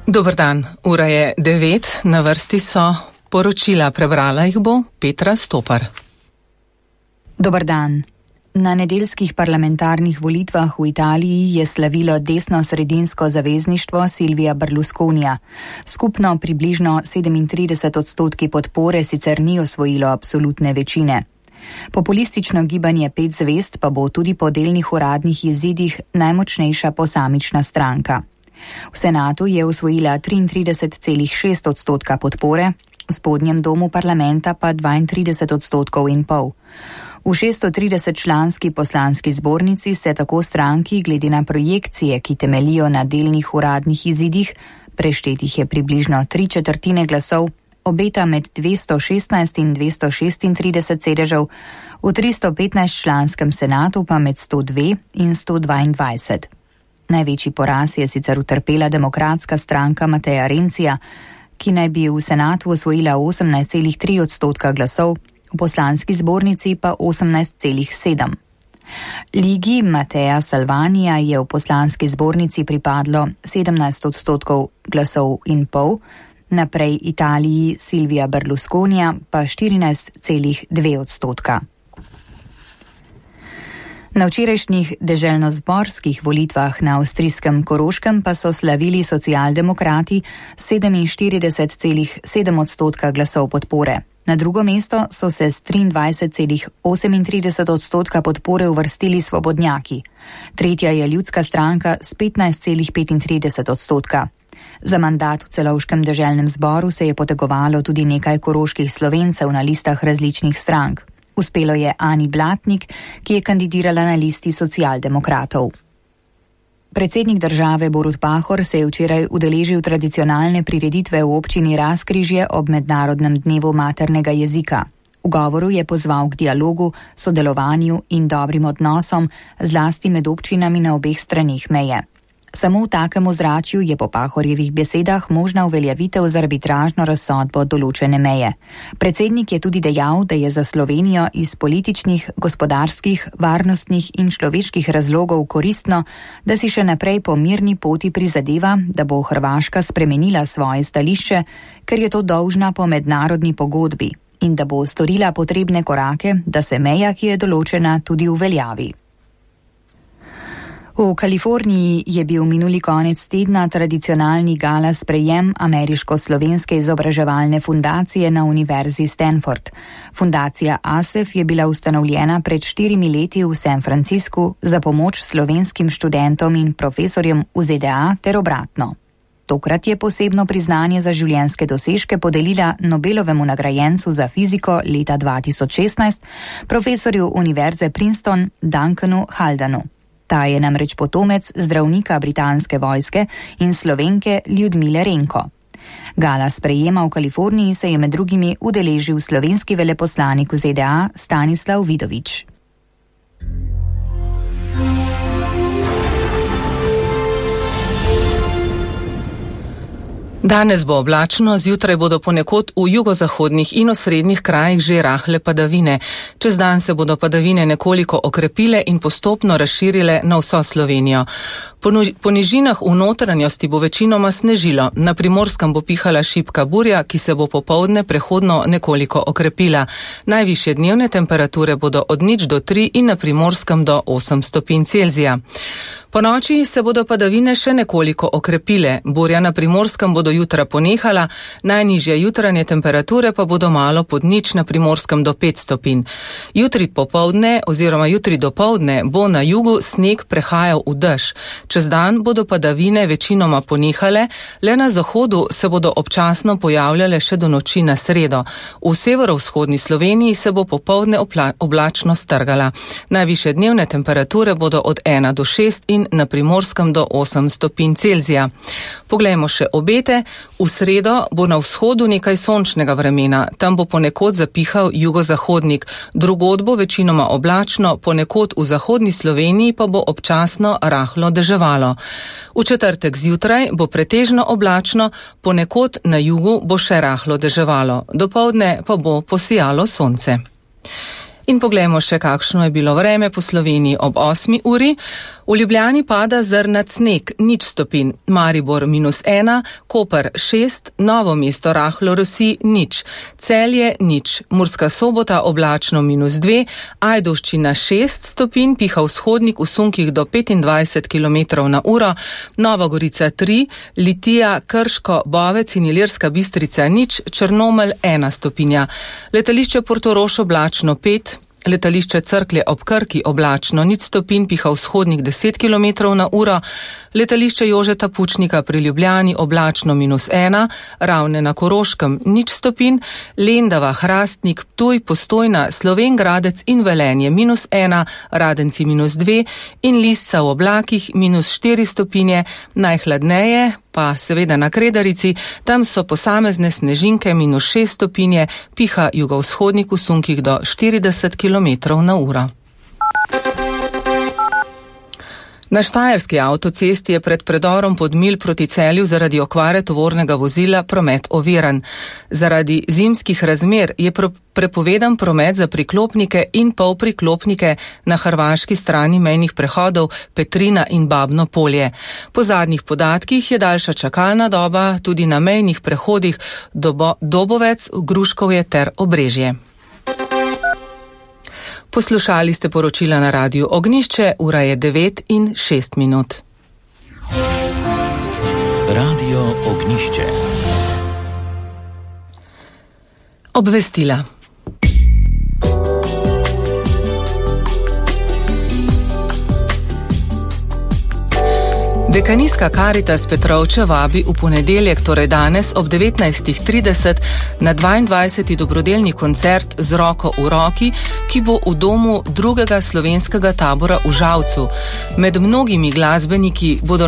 Dober dan, ura je 9, na vrsti so poročila, prebrala jih bo Petra Stopar. Dober dan. Na nedeljskih parlamentarnih volitvah v Italiji je slavilo desno-sredinsko zavezništvo Silvija Berlusconija. Skupno približno 37% podpore sicer ni osvojilo absolutne večine. Populistično gibanje 5 zvezd pa bo tudi po delnih uradnih izidih najmočnejša posamična stranka. V senatu je osvojila 33,6% podpore, v spodnjem domu parlamenta pa 32,5%. V 630-članski poslanski zbornici se tako stranki glede na projekcije, ki temelijo na delnih uradnih izidih, preštetih je približno 3/4 glasov, obeta med 216 in 236 sedežev, v 315-članskem senatu pa med 102 in 122. Največji poraz je sicer utrpela demokratska stranka Mattea Renzija, ki naj bi v senatu osvojila 18,3% glasov, v poslanski zbornici pa 18,7%. Ligi Mattea Salvanija je v poslanski zbornici pripadlo 17% glasov in pol, naprej Italiji Silvija Berlusconija pa 14,2%. Na včerajšnjih deželnozborskih volitvah na avstrijskem Koroškem pa so slavili socialdemokrati 47,7% glasov podpore. Na drugo mesto so se s 23,38% podpore uvrstili svobodnjaki. Tretja je ljudska stranka s 15,35%. Za mandat v celovškem deželnem zboru se je potegovalo tudi nekaj koroških Slovencev na listah različnih strank. Uspelo je Ani Blatnik, ki je kandidirala na listi socialdemokratov. Predsednik države Borut Pahor se je včeraj udeležil tradicionalne prireditve v občini Razkrižje ob Mednarodnem dnevu maternega jezika. V govoru je pozval k dialogu, sodelovanju in dobrim odnosom, zlasti med občinami na obeh straneh meje. Samo v takem ozračju je po Pahorjevih besedah možna uveljavitev z arbitražno razsodbo določene meje. Predsednik je tudi dejal, da je za Slovenijo iz političnih, gospodarskih, varnostnih in človeških razlogov koristno, da si še naprej po mirni poti prizadeva, da bo Hrvaška spremenila svoje stališče, ker je to dolžna po mednarodni pogodbi, in da bo storila potrebne korake, da se meja, ki je določena, tudi uveljavi. V Kaliforniji je bil minuli konec tedna tradicionalni gala sprejem ameriško-slovenske izobraževalne fundacije na Univerzi Stanford. Fundacija ASEF je bila ustanovljena pred 4 leti v San Franciscu za pomoč slovenskim študentom in profesorjem v ZDA ter obratno. Tokrat je posebno priznanje za življenjske dosežke podelila Nobelovemu nagrajencu za fiziko leta 2016, profesorju Univerze Princeton Duncanu Haldanu. Ta je namreč potomec zdravnika britanske vojske in Slovenke Ljudmile Renko. Gala sprejema v Kaliforniji se je med drugimi udeležil slovenski veleposlanik v ZDA Stanislav Vidovič. Danes bo oblačno, zjutraj bodo ponekod v jugozahodnih in osrednjih krajih že rahle padavine. Čez dan se bodo padavine nekoliko okrepile in postopno razširile na vso Slovenijo. Po nižinah v notranjosti bo večinoma snežilo. Na Primorskem bo pihala šibka burja, ki se bo popoldne prehodno nekoliko okrepila. Najvišje dnevne temperature bodo od 0 do 3 in na Primorskem do 8 stopinj Celzija. Po noči se bodo padavine še nekoliko okrepile. Burja na Primorskem bodo jutra ponehala, najnižje jutranje temperature pa bodo malo pod 0 na Primorskem do 5 stopinj. Jutri popoldne oziroma jutri dopoldne bo na jugu sneg prehajal v dež. Čez dan bodo padavine večinoma ponehale, le na zahodu se bodo občasno pojavljale še do noči na sredo. V severovzhodni Sloveniji se bo popoldne oblačno strgala. Najvišje dnevne temperature bodo od 1 do 6 in na Primorskem do 8 stopinj Celzija. Poglejmo še obete. V sredo bo na vzhodu nekaj sončnega vremena. Tam bo ponekod zapihal jugozahodnik. Drugod bo večinoma oblačno, ponekod v zahodni Sloveniji pa bo občasno rahlo deževalo. V četrtek zjutraj bo pretežno oblačno, ponekod na jugu bo še rahlo deževalo. Dopoldne pa bo posijalo sonce. In poglejmo še, kakšno je bilo vreme po Sloveniji ob 8. uri. V Ljubljani pada zrnat sneg, 0 stopinj, Maribor -1, Koper 6, Novo mesto rahlo rosi 0, Celje 0, Murska Sobota oblačno -2, Ajdovščina 6 stopinj, piha vzhodnik v sunkih do 25 km/h, Nova Gorica 3, Litija, Krško, Bovec in Ilirska Bistrica 0, Črnomelj 1 stopinja. Letališče Portorož oblačno 5, letališče Cerklje ob Krki oblačno 0 stopinj, piha vzhodnik 10 km/h, letališče Jožeta Pučnika pri Ljubljani oblačno -1, Ravne na Koroškem 0 stopinj, Lendava, Hrastnik, Ptuj, Postojna, Slovenj Gradec in Velenje -1, Radenci -2 in Lisca v oblakih -4 stopinje, najhladneje pa seveda na Kredarici, tam so posamezne snežinke -6 stopinje, piha jugovzhodnik v sunkih do 40 km/h. Na štajerski avtocesti je pred predorom Podmilj proti Celju zaradi okvare tovornega vozila promet oviran. Zaradi zimskih razmer je prepovedan promet za priklopnike in polpriklopnike na hrvaški strani mejnih prehodov Petrina in Babno Polje. Po zadnjih podatkih je daljša čakalna doba tudi na mejnih prehodih Dobovec, Gruškovje ter Obrežje. Poslušali ste poročila na Radiu Ognjišče, ura je 9:06. Radio Ognjišče. Obvestila. Dekanijska Karitas Petrovče vabi v ponedeljek, torej danes ob 19:30 na 22. dobrodelni koncert Z roko v roki, ki bo v domu drugega slovenskega tabora v Žalcu. Med mnogimi glasbeniki bodo